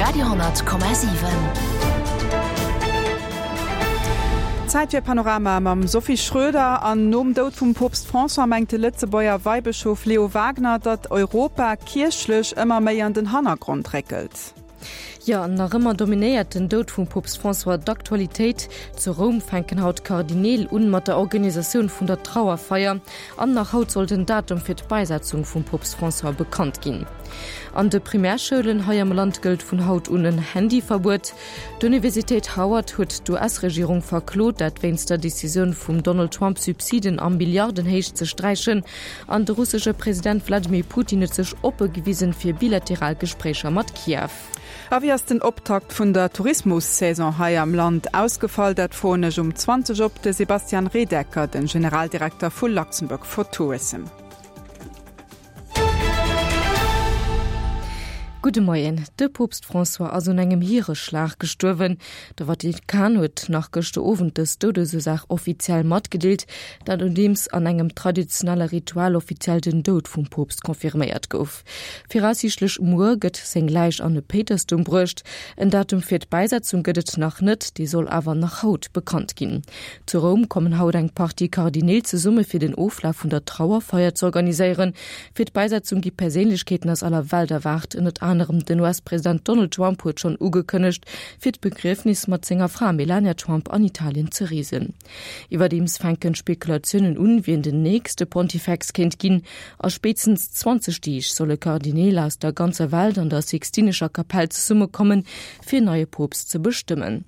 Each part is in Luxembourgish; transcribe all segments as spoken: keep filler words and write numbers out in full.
Radio honnert Komma siwen. Zäit fir Panorama mam Sophie Schröder. An nom Doud vum Poopst François mengt de Lëtzebuerger Weibëschof Leo Wagener, datt Europa kierchlech ëmmer méi an den Hannergrond réckelt. Jo, an nach ëmmer dominéiert den Doud vum Poopst François d'Aktualitéit. Zu Roum fänken haut d'Kardineel un mat der Organisatioun vun der Trauerfeier. An nach haut soll den Datum fir d'Bäisetzung vum Poopst François bekannt ginn. An de Primärschoulen hei am Land gëllt vun haut un en Handyverbuet. D'Universitéit Howard huet d'US-Regierung verklot, dat wéinst der Decisioun vum Donald Trump Subsiden a Milliardenhéicht ze sträichen. An de russesche President Wladimir Putin huet sech oppe gewisen fir bilateral Gespréicher mat Kiew. A wéi ass den Optakt vun der Tourismus-Saison hei am Land ausgefall? Dat froen ech um zwanzeg op de Sebastian Redecker, den Generaldirekter vu Luxembourg for Tourism. Gudde Moien. De Poopst François ass un engem Hiereschlag gestuerwen. De Vatikan huet nach gëschter Owend dës Doudesursaach offiziell matgedeelt, dat nodeems an engem traditionelle Ritual offiziell den Doud vum Poopst confirméiert gouf. Viraussiichtlech muer gëtt seng Läich an de Péitersdoum bruecht. En Datum fir d'Bäisetzung gëtt et nach net, dee soll awer nach haut bekannt ginn. Zu Roum kommen haut eng Partie Kardineel zesumme fir den Oflaf vun der Trauerfeier z'organiséieren. Fir d'Bäisetzung gi Perséinlechkeeten aus aller Welt erwaart, ënnert anerem den U S-President Donald Trump huet schonn ugekënnegt, fir d'Begriefnis mat senger Fra Melania Trump an Italien ze reesen. Iwwerdeems fänken d'Spekulatiounen un, wien den nächste Pontifex kéint ginn. A spéitstens zwanzeg Deeg solle Kardineel aus der ganzer Welt an der Sixtinescher Kapell zesummekommen, fir en neie Poopst ze bestëmmen.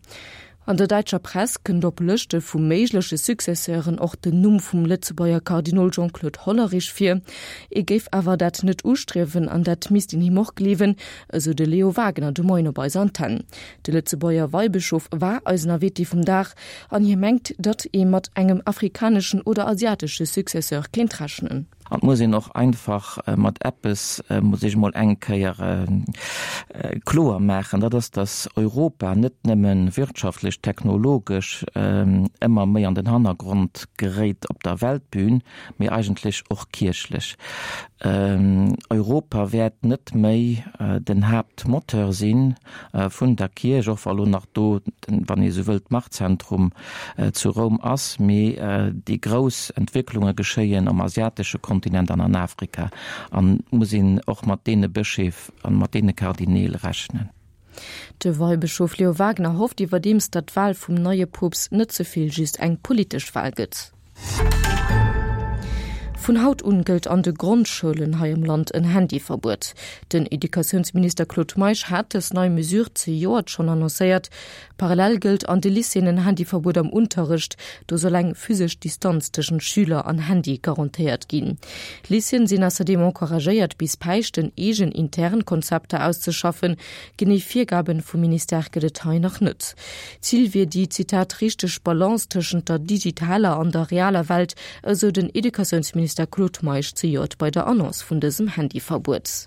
An der däitscher Press kënnt op Lëschte vu méigleche Successeuren och den Numm vum Lëtzebuerger Kardinol Jean-Claude Hollerich vir. E géif awer dat net ustriewen an dat misst een him och gleewen, esou de Leo Wagener de Moien op eiser Antenn. De Lëtzebuerger Weibëschof war eisen Invité vum Dag an hie mengt, datt ee mat engem afrikaneschen oder asiatesche Successeur kéint rechnen. An et muss een och einfach mat eppes, muss ech emol eng Kéier kloer maachen, dat ass, dass Europa net nëmme wirtschaftlech, technologesch ëmmer méi an den Hannergrond geréit op der Weltbühn, mee eigentlech och kierchlech. Europa wäert net méi den Haaptmoteur si vun der Kierch, och wa lo nach do, wann ee sou wëllt, d'Machtzentrum zu Roum ass, mee déi grouss Entwécklunge geschéien um asiatesche Kontinent an an Afrika an et muss een och mat deene Bëscheef an mat deene Kardineel rechnen. De Weibëschof Leo Wagener hofft iwwerdeems, datt d'Wal vum neie Poopst net ze vill just eng politesch Wal gëtt. Vun haut un gëllt an de Grondschoulen hei am Land en Handyverbuet. Den Educatiounsminister Claude Meisch hat dës nei Mesure zejoert schonn annoncéiert. Parallel gëllt an de Lycéeën en Handyverbuet am Unterrecht. Do soll eng physesch Distanz tëschent Schüler an Handy garantéiert ginn. Lycéeën sinn ausserdeem encouragéiert, bis Päischten eegen intern Konzepter auszeschaffen. Genee Virgaben vum Ministère gëtt et hei nach net. Zil wier déi, Zitat, richteg Balance tëschent der digitaler an der realer Welt, esou den Educatiounsminister Claude Meisch zejoert bei der Annonce vun dësem Handyverbuet.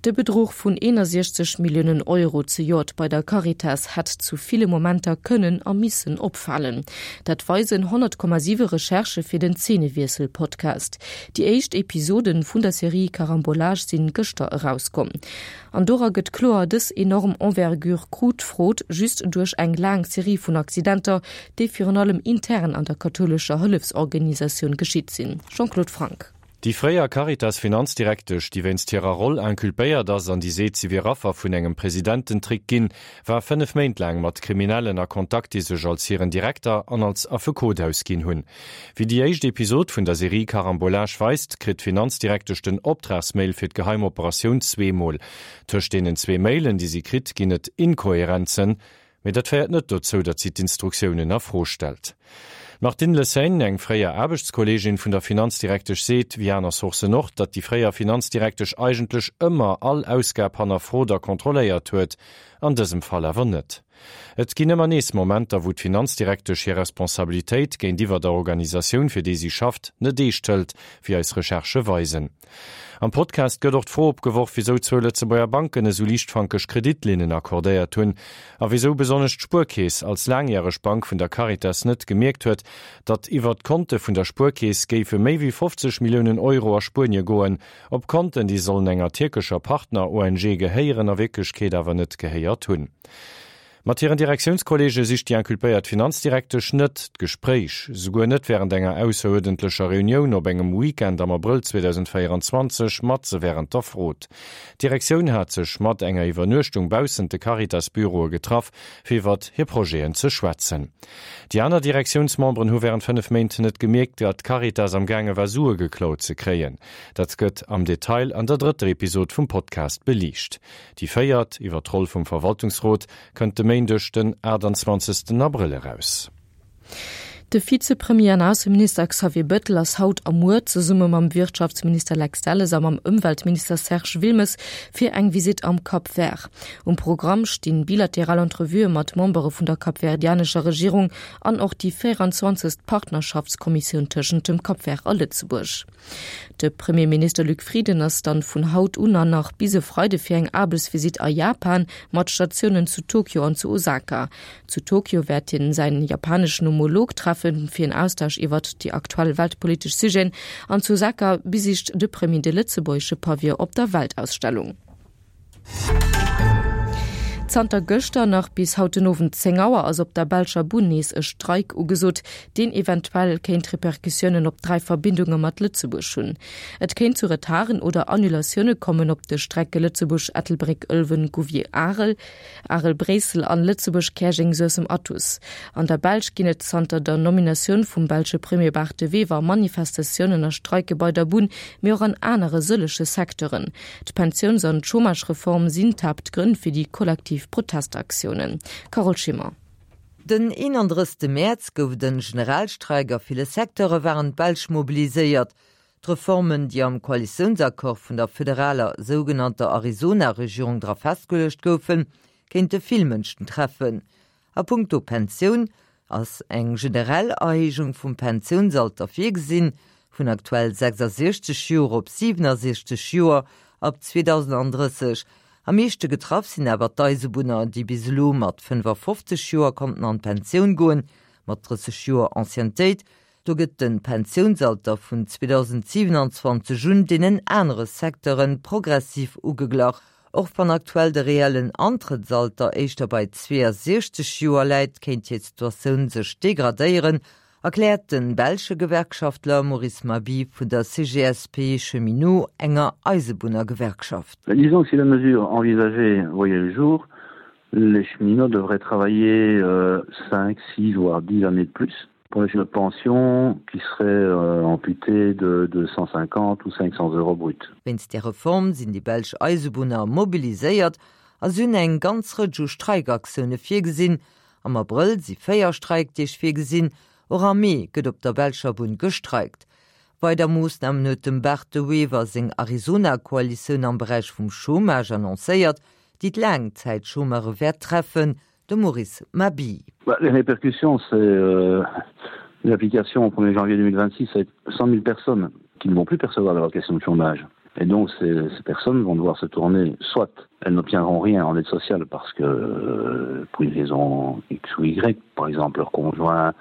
De Bedruch vun eenundsechzeg Milliounen Euro zejoert bei der Caritas hätt zu ville Momenter kënnen a missen opfalen. Dat weisen honnert Komma siwe Recherchë fir den Zeenewiessel-Podcast. Déi éischt Episoden vun der Serie Carambolage sinn gëschter erauskomm. An dora gëtt kloer, dës enorm Envergure krut d'Frod just duerch eng laang Serie vun Accidenter, déi virun allem intern an der kathoulescher Hëllefsorganisatioun geschitt sinn. Jean-Claude Franck. Déi fréier Caritas-Finanzdirektesch, déi wéinst hirer Roll inculpéiert ass an déi seet, si wier Affer vun engem Presidententrick ginn, war fënnef Méint laang mat Kriminellen a Kontakt, déi sech als hiren Direkter an als Affekot ausginn hunn. Wéi déi éischt Episod vun der Serie Carambolage weist, kritt d'Finanzdirektesch den Optragsmail fir d'geheim Operatioun zweemol. Tëscht deenen zwee Mailen, déi si kritt, ginn et Inkohärenzen. Mee dat féiert net dozou, datt si d'Instruktiounen a Fro stellt. D'Martine Lessaigne, eng fréier Aarbechtskolleegin vun der Finanzdirektesch, seet, wéi aner Sourcen och, datt déi fréier Finanzdirektesch eigentlech ëmmer all Ausgab hannerfrot a kontrolléiert huet, an dësem Fall awer net. Et ginn ëmmer nees Momenter, wou d'Finanzdirektesch hir Responsabilitéit géintiwwer der Organisatioun, fir déi si schafft, net eescht hëlt, wéi eis Recherchë weisen. Am Podcast gëtt och d'Fro opgeworf, wisou zwou Lëtzebuerger Banken esou liichtfankeg Kreditlinnen accordéiert hunn a wisou besonnesch d'Spuerkeess als laangjäreg Bank vun der Caritas net gemierkt huet, datt iwwer d'Konte vun der Spuerkeess géife méi wéi fofzeg Milliounen Euro a Spuenie goen, op Konten, déi sollen enger tierkescher Partner-ONG gehéieren, a Wierklechkeet awer net gehéiert hunn. Mat hiren Direktiounskolleege sicht déi inculpéiert Finanzdirektesch net d'Gespréich, souguer net wärend enger ausseruerdentlecher Reunioun op engem Weekend am Abrëll zweedausendvéierenzwanzeg matze wärend der Frod. D'Direktioun hat sech mat enger Iwwernuechtung baussent de Caritas-Büroe getraff, fir iwwert hir Projeten ze schwätzen. Déi aner Direktiounsmemberen hu wärend fënnef Méint net gemierkt, datt d'Caritas am gaange war Sue geklaut ze kréien. Dat gëtt am Detail an der drëtter Episod vum Podcast beliicht. Déi véiert, iwwer d'Roll vum Verwaltungsrot, kënnt de Méindeg den achttanzwanzegsten Abrëll eraus. De Vizepremier an Ausseminister Xavier Bettel ass haut a muer zesumme mam Wirtschaftsminister Lex Delles a mam Ëmweltminister Serge Wilmes fir eng Visitt am Cap Vert. Um Programm stinn bilateral Entrevuë mat Membere vun der kapverdianescher Regierung an och déi véieranzwanzegst Partnerschaftskommissioun tëschent dem Cap Vert a Lëtzebuerg. De Premierminister Luc Frieden ass dann vun haut un an nach bis e Freide fir eng Aarbechtsvisitt a Japan mat Statiounen zu Tokio an zu Osaka. Zu Tokio wäert hien säin japaneschen Homolog treffen fir en Austausch iwwert déi aktuell weltpolitesch Sujeten an zu Osaka besicht de Premier de lëtzebuergesche Pavillon op der Weltausstellung. Zanter gëschter nach bis haut den Owend zéng Auer ass op der belscher Bunn nees e Streik ugesot, deen eventuell kéint Repercussiounen op dräi Verbindunge mat Lëtzebuerg hunn. Et kéint zu Retarden oder Annulatioune kommen op de Strecke Lëtzebuerg-Ettelbréck-Ëlwen-Gouvier-Arel, Arel-Bréissel an Lëtzebuerg-Käerjeng-Suessem-Athus. An der Belsch ginn et zanter der Nominatioun vum belsche Premier Bart De Wever Manifestatiounen a Streike bei der Bunn, mee och an anere sëllege Secteuren. D'Pensiouns an d'Chômagereform sinn d'Haaptgrënn fir déi kollektiv Protestaktiounen. Carole Schimmer. Den eenandrëssegste Mäerz gouf et en Generalstreik, a ville Secteure waren d'Belsch mobiliséiert. D'Reformen, déi am Koalitiounsaccord vun der federaler sougenannter Arizona-Regierung dra festgeluecht goufen, kéinte vill Mënschen treffen. A punkto Pensioun ass eng generell Erhéijung vum Pensiounsalter virgesinn, vun aktuell sechsasiechzeg Joer op siwenasiechzeg Joer ab zweedausendandrësseg. Am meeschte getraff sinn awer d'Eisebunner, déi bis elo mat fënnefafofzeg Joer konnten an d'Pensioun goen, mat drësseg Joer Anciennetéit. Do gëtt de Pensiounsalter vun zweedausendsiewenanzwanzeg un deenen anere Secteure progressiv ugeglach. Och wann aktuell de reellen Antrëttsalter éischter bei zweeasiechzeg Joer läit, kéint hir Situatioun sech degradéieren, erkläert de belsche Gewerkschaftler Maurice Mabille vun der C G S P Cheminots, enger Eisebunnergewerkschaft. Disons que si la mesure envisagée voyait le jour, les cheminots devraient travailler cinq, six voire dix années de plus pour une pension qui serait amputée de cent cinquante ou cinq cents euros brut. Wéinst där Reform sinn déi belsch Eisebunner mobiliséiert a si hunn eng ganz Rëtsch u Streikaktioune virgesinn. Am Abrëll si véier Streikdeeg virgesinn, och am Mee gëtt op der belscher Bunn gestreikt. Weider Moossnamen huet dem Bart De Wever seng Arizona-Koalitioun am Beräich vum Chômage annoncéiert, déi d'Laangzäitchômeure wäert treffen, de Maurice Mabille. Les répercussions, c'est l'application au premier janvier deux mille vingt-six, ça va être cent mille personnes qui ne vont plus percevoir l'allocation de chômage. Et donc ces, ces personnes vont devoir se tourner, soit elles n'obtiendront rien en aide sociale parce que euh, pour une raison X ou Y, par exemple leur conjoint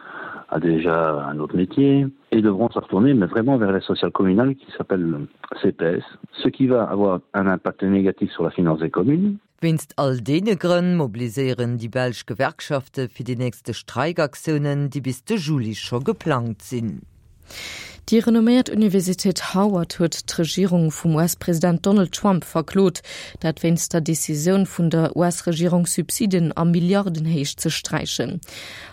a déjà un autre métier, et devront se retourner mais vraiment vers l'aide sociale communale qui s'appelle C P S, ce qui va avoir un impact négatif sur la finance des communes. Wéinst all deene Grënn mobiliséieren déi belsch Gewerkschafte fir déi nächste Streikaktiounen, déi bis de Juli scho geplangt sinn. Déi renomméiert Universitéit Harvard huet d'Regierung vum U S-President Donald Trump verklot, dat wéinst der Decisioun vun der U S-Regierung Subsiden a Milliardenhéicht ze sträichen.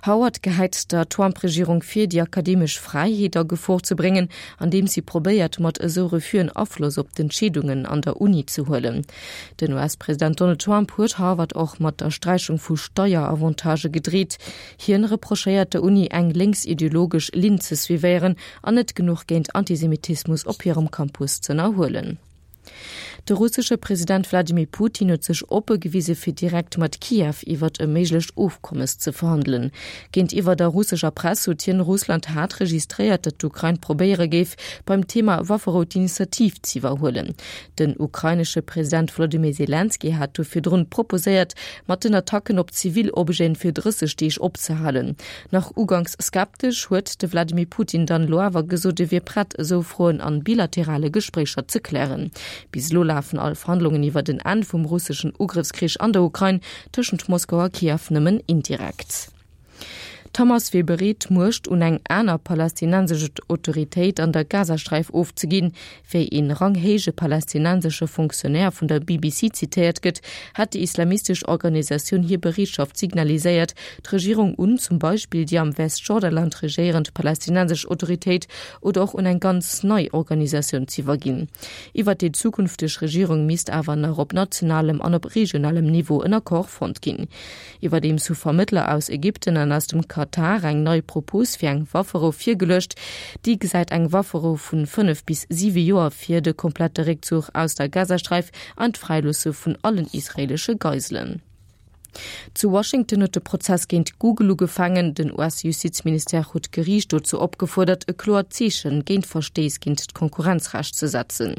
Harvard gehäit der Trump-Regierung vir, déi akademesch Fräiheet a Gefor ze bréngen, andeem si probéiert mat esou Refusen Afloss op d'Entscheedungen an der Uni ze huelen. Den U S-President Donald Trump huet Harvard och mat der Sträichung vu Steieravantage gedreet. Hien reprochéiert der Uni eng lénksideologesch Linn ze suivéieren an net genuch géint Antisemitismus op hirem Campus z'ënnerhuelen. De russesche President Wladimir Putin huet sech oppe gewise fir direkt mat Kiew iwwert e méiglecht Ofkommes ze verhandelen. Géintiwwer der russescher Press huet hien Russland haart registréiert, datt d'Ukrain probéiere géif, beim Thema Wafferou d'Initiativ z'iwwerhuelen. Den ukrainesche President Wolodymyr Selenskyj hat do virdrun proposéiert, mat den Attacken op zivil Objeten fir drësseg Deeg opzehalen. Nach uganks skeptesch huet de Wladimir Putin dann elo awer gesot, e wier prett, esou Froen an bilaterale Gespréicher ze klären. Bis elo lafen all Verhandlungen iwwer den Enn vum russeschen Ugrëffskrich an der Ukrain tëschent Moskau a Kiew nëmmen indirekt. D'Hamas wier bereet, d'Muecht un eng aner palästinensesch Autoritéit an der Gazasträif ofzeginn. Wéi een ranghéije palästinensesche Fonctionnaire vun der B B C zitéiert gëtt, hätt déi islamistesch Organisatioun hir Bereetschaft signaliséiert, d'Regierung un zum Beispill déi am Westjordaland regéierend palästinensesch Autoritéit oder och un eng ganz nei Organisatioun z'iwwerginn. Iwwer déi zukünfteg Regierung misst awer nach op nationalem an op regionalem Niveau en Accord fonnt ginn. Iwwerdeems hu Vermëttler aus Ägypten an aus dem Katar eng nei Propos fir eng Wafferou virgeluecht. Déi gesäit eng Wafferou vu fënnef bis siwe Joer vir, de komplette Réckzuch aus der Gazasträif an d'Fräiloosse vun allen israeelesche Geiselen. Zu Washington huet de Prozess géint Google ugefaangen. Den U S-Justizministère huet d'Geriicht dozou opgefuerdert, e kloert Zeeche géint Verstéiss géint d'Konkurrenzrecht ze setzen.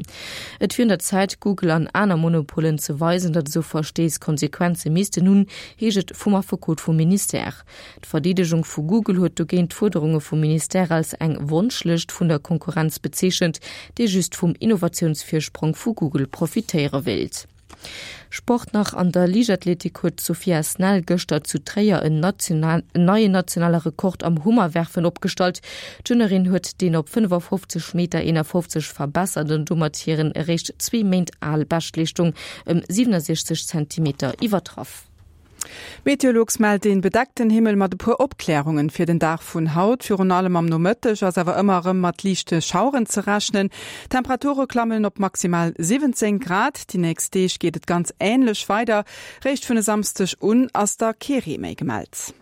Et wier un der Zäit, Google an aner Monopolen ze weisen, datt esou Verstéiss Konsequenze missten hunn, heescht et vum Affekot vum Ministère. D'Verdeedegung vu Google huet dogéint d'Fuerderunge vum Ministère als eng Wonschlëscht vun der Konkurrenz bezeechent, déi just vum Innovatiounsvirsprong vu Google profitéiere wéilt. Sport nach, An der Liichtathletik huet d'Sophia Snell gëschter zu Tréier en neien nationale Rekord am Hummerwerfen opgestallt. D'Turneurin huet deen op fënnefafofzeg Meter eenafofzeg verbessert an domat hiren eréischt zwee Méint al Beschtleeschtung ëm siwenasechzeg Zentimeter iwwertraff. Meteolux mellt een bedeckten Himmel mat e puer Opklärungen fir den Dag vun haut. Virun allem am Nomëtteg ass awer ëmmer erëm mat liichte Schaueren ze rechnen. D'Temperature klammen op maximal siwwenzéng Grad. Déi nächst Deeg geet et ganz änlech weider. Réischt vun e Samsdeg un ass da kee Ree méi gemellt.